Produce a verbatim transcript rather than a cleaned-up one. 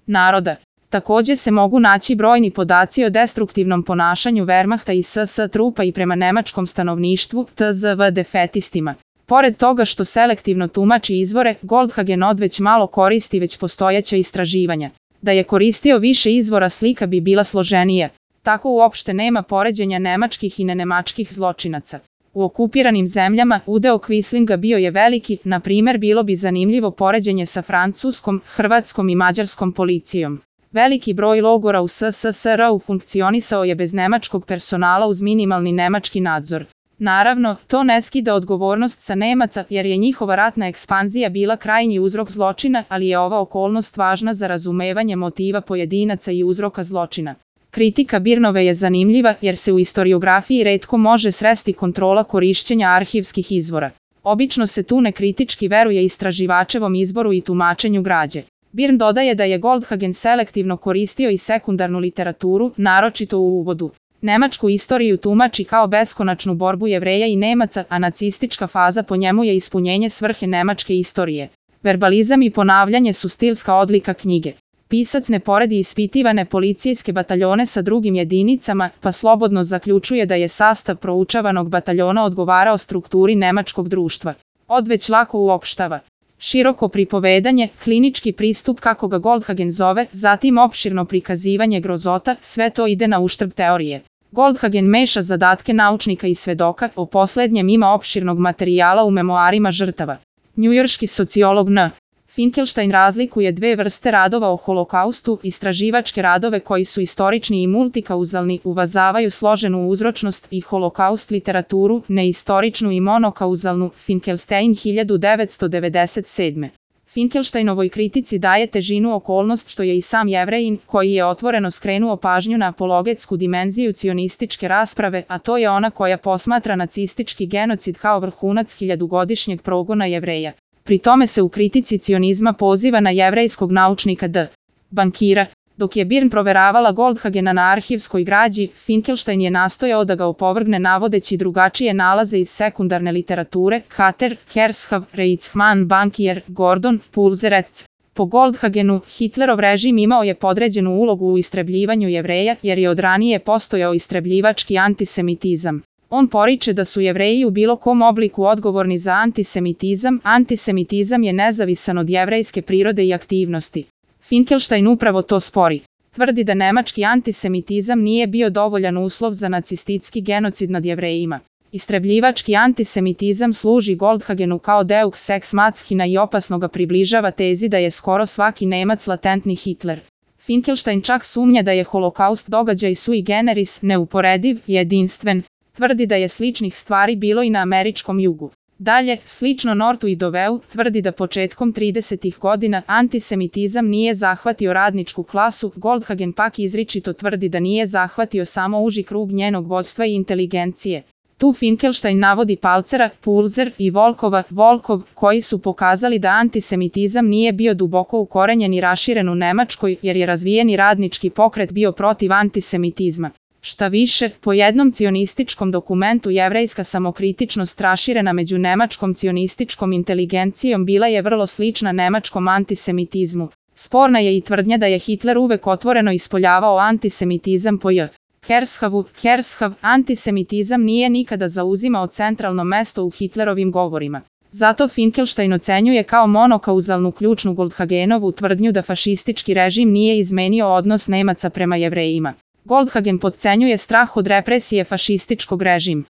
naroda. Takođe se mogu naći brojni podaci o destruktivnom ponašanju Wehrmachta i S S trupa i prema nemačkom stanovništvu, T Z V defetistima. Pored toga što selektivno tumači izvore, Goldhagen odveć malo koristi već postojeća istraživanja. Da je koristio više izvora slika bi bila složenija. Tako uopšte nema poređenja nemačkih i nenemačkih zločinaca. U okupiranim zemljama udeo Quislinga bio je veliki, na primer bilo bi zanimljivo poređenje sa francuskom, hrvatskom i mađarskom policijom. Veliki broj logora u S S S R-u funkcionisao je bez nemačkog personala uz minimalni nemački nadzor. Naravno, to ne skida odgovornost sa Nemaca jer je njihova ratna ekspanzija bila krajnji uzrok zločina, ali je ova okolnost važna za razumevanje motiva pojedinaca i uzroka zločina. Kritika Birnove je zanimljiva jer se u istoriografiji retko može sresti kontrola korišćenja arhivskih izvora. Obično se tu nekritički veruje istraživačevom izboru i tumačenju građe. Birn dodaje da je Goldhagen selektivno koristio i sekundarnu literaturu, naročito u uvodu. Nemačku istoriju tumači kao beskonačnu borbu Jevreja i Nemaca, a nacistička faza po njemu je ispunjenje svrhe nemačke istorije. Verbalizam i ponavljanje su stilska odlika knjige. Pisac ne poredi ispitivane policijske bataljone sa drugim jedinicama, pa slobodno zaključuje da je sastav proučavanog bataljona odgovarao strukturi nemačkog društva. Odveć lako uopštava. Široko pripovedanje, klinički pristup kako ga Goldhagen zove, zatim opširno prikazivanje grozota, sve to ide na uštrb teorije. Goldhagen meša zadatke naučnika i svedoka, o poslednjem ima opširnog materijala u memoarima žrtava. Njujorški sociolog N. Finkelstein razlikuje dve vrste radova o holokaustu, istraživačke radove koji su istorični i multikauzalni, uvažavaju složenu uzročnost i holokaust literaturu, neistoričnu i monokauzalnu, Finkelstein hiljadu devetsto devedeset sedme. Finkelsteinovoj kritici daje težinu okolnost što je i sam Jevrejin, koji je otvoreno skrenuo pažnju na apologetsku dimenziju cionističke rasprave, a to je ona koja posmatra nacistički genocid kao vrhunac hiljadugodišnjeg progona Jevreja. Pri tome se u kritici cionizma poziva na jevrejskog naučnika D. Bankira. Dok je Birn proveravala Goldhagena na arhivskoj građi, Finkelstein je nastojao da ga opovrgne navodeći drugačije nalaze iz sekundarne literature, Hater, Hershav, Reitzmann, Bankier, Gordon, Pulzerec. Po Goldhagenu, Hitlerov režim imao je podređenu ulogu u istrebljivanju Jevreja jer je od ranije postojao istrebljivački antisemitizam. On poriče da su Jevreji u bilo kom obliku odgovorni za antisemitizam, antisemitizam je nezavisan od jevrejske prirode i aktivnosti. Finkelstein upravo to spori. Tvrdi da nemački antisemitizam nije bio dovoljan uslov za nacistički genocid nad Jevrejima. Istrebljivački antisemitizam služi Goldhagenu kao deux ex machina i opasno ga približava tezi da je skoro svaki Nemac latentni Hitler. Finkelstein čak sumnja da je holokaust događaj sui generis, neuporediv, jedinstven. Tvrdi da je sličnih stvari bilo i na američkom jugu. Dalje, slično Nortu i Doveu, tvrdi da početkom tridesetih godina antisemitizam nije zahvatio radničku klasu, Goldhagen pak izričito tvrdi da nije zahvatio samo uži krug njenog vođstva i inteligencije. Tu Finkelstein navodi Palcera, Pulzer i Volkova, Volkov, koji su pokazali da antisemitizam nije bio duboko ukorenjen i raširen u Nemačkoj jer je razvijeni radnički pokret bio protiv antisemitizma. Šta više, po jednom cionističkom dokumentu jevrejska samokritičnost raširena među nemačkom cionističkom inteligencijom bila je vrlo slična nemačkom antisemitizmu. Sporna je i tvrdnja da je Hitler uvek otvoreno ispoljavao antisemitizam po J. Hershavu. Hershav, antisemitizam nije nikada zauzimao centralno mesto u Hitlerovim govorima. Zato Finkelstein ocenjuje kao monokauzalnu ključnu Goldhagenovu tvrdnju da fašistički režim nije izmenio odnos Nemaca prema Jevrejima. Goldhagen potcenjuje strah od represije fašističkog režima.